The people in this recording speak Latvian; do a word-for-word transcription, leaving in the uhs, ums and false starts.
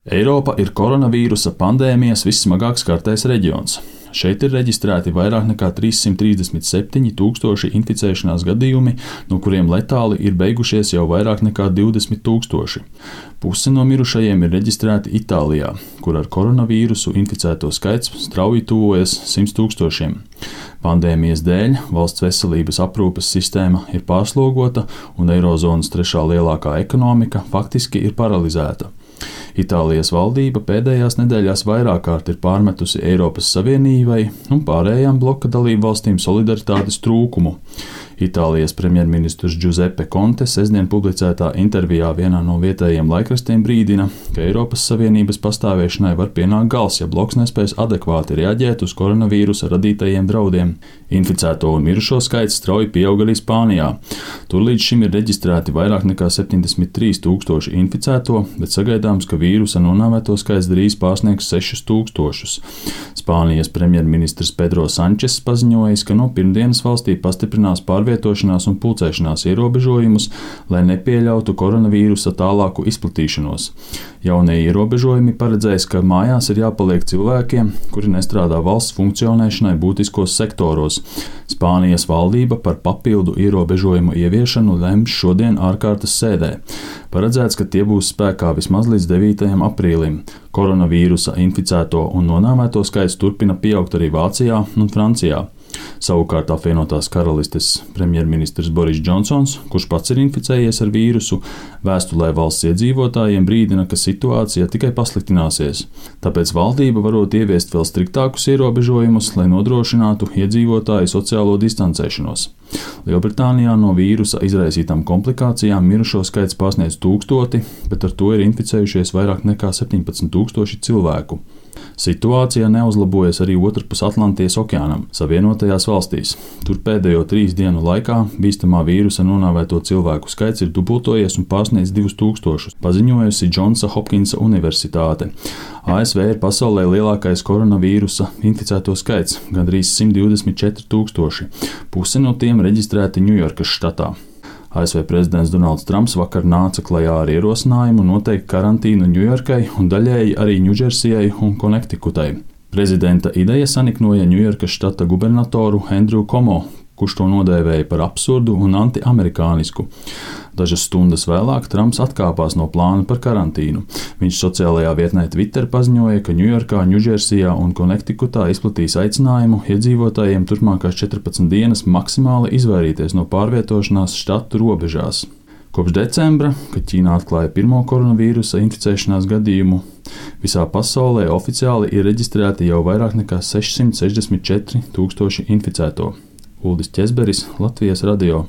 Eiropa ir koronavīrusa pandēmijas vissmagāk skartais reģions. Šeit ir reģistrēti vairāk nekā trīssimt trīsdesmit septiņi tūkstoši inficēšanās gadījumi, no kuriem letāli ir beigušies jau vairāk nekā divdesmit tūkstoši. Puse no mirušajiem ir reģistrēti Itālijā, kur ar koronavīrusu inficēto skaits strauji tuvojas simts tūkstošiem. Pandēmijas dēļ valsts veselības aprūpes sistēma ir pārslogota un eirozonas trešā lielākā ekonomika faktiski ir paralizēta. Itālijas valdība pēdējās nedēļās vairāk kārt ir pārmetusi Eiropas Savienībai un pārējām bloka dalību valstīm solidaritātes trūkumu. Itālijas premjerministrs Giuseppe Conte sestdien publicētā intervijā vienā no vietējiem laikrakstiem brīdina, ka Eiropas Savienības pastāvēšanai var pienākt gals, ja bloks nespēs adekvāti reaģēt uz koronavīrusa radītajiem draudiem. Inficēto un mirušo skaits strauji pieaug arī Spānijā. Tur līdz šim ir reģistrēti vairāk nekā septiņdesmit trīs tūkstoši inficēto, bet sagaidāms, ka vīrusa nonāvēto skaits drīz pārsniegs sešus tūkstošus. Spānijas premjerministrs Pedro Sančes paziņojis, ka no pirmdienas valstī pastiprinās pārvietošanās un pulcēšanās ierobežojumus, lai nepieļautu koronavīrusa tālāku izplatīšanos. Jaunie ierobežojumi paredzēs, ka mājās ir jāpaliek cilvēkiem, kuri nestrādā valsts funkcionēšanai būtiskos sektoros. Spānijas valdība par papildu ierobežojumu ieviešanu lems šodien ārkārtas sēdē. Paredzēts, ka tie būs spēkā vismaz līdz devītajam aprīlim. Koronavīrusa inficēto un nonāvēto skaits turpina pieaugt arī Vācijā un Francijā. Savukārt apvienotās karalistes premjerministrs Boris Džonsons, kurš pats ir inficējies ar vīrusu, vēstulē valsts iedzīvotājiem brīdina, ka situācija tikai pasliktināsies. Tāpēc valdība varot ieviest vēl striktākus ierobežojumus, lai nodrošinātu iedzīvotāju sociālo distancēšanos. Lielbritānijā no vīrusa izraisītām komplikācijām mirušo skaits pārsniedz tūkstoti, bet ar to ir inficējušies vairāk nekā septiņpadsmit tūkstoši cilvēku. Situācija neuzlabojas arī otrpus Atlantijas okeānam, Savienotajās valstīs. Tur pēdējo trīs dienu laikā bīstamā vīrusa nonāvēto cilvēku skaits ir dubultojies un pārsniedz divus tūkstošus, paziņojusi Džonsa Hopkinsa Universitāte. A S V ir pasaulē lielākais koronavīrusa inficēto skaits – gandrīz simt divdesmit četri tūkstoši. Puse no tiem reģistrēti Ņujorkas štatā. A S V prezidents Donalds Trumps vakar nāca klajā ar ierosinājumu noteikt karantīnu Ņujorkai un daļēji arī Ņūdžersijai un Konektikutai. Prezidenta ideja saniknoja Ņujorkas štata gubernatoru Andrew Cuomo, kurš to nodēvēja par absurdu un antiamerikānisku. Dažas stundas vēlāk Trumps atkāpās no plāna par karantīnu. Viņš sociālajā vietnē Twitter paziņoja, ka Ņujorkā, Ņūdžersijā un Konektikutā izplatīs aicinājumu iedzīvotājiem turpmākās četrpadsmit dienas maksimāli izvairīties no pārvietošanās štatu robežās. Kopš decembra, kad Ķīnā atklāja pirmo koronavīrusa inficēšanās gadījumu, visā pasaulē oficiāli ir reģistrēti jau vairāk nekā sešsimt sešdesmit četri tūkstoši inficēto. Uldis Ķezberis, Latvijas radio.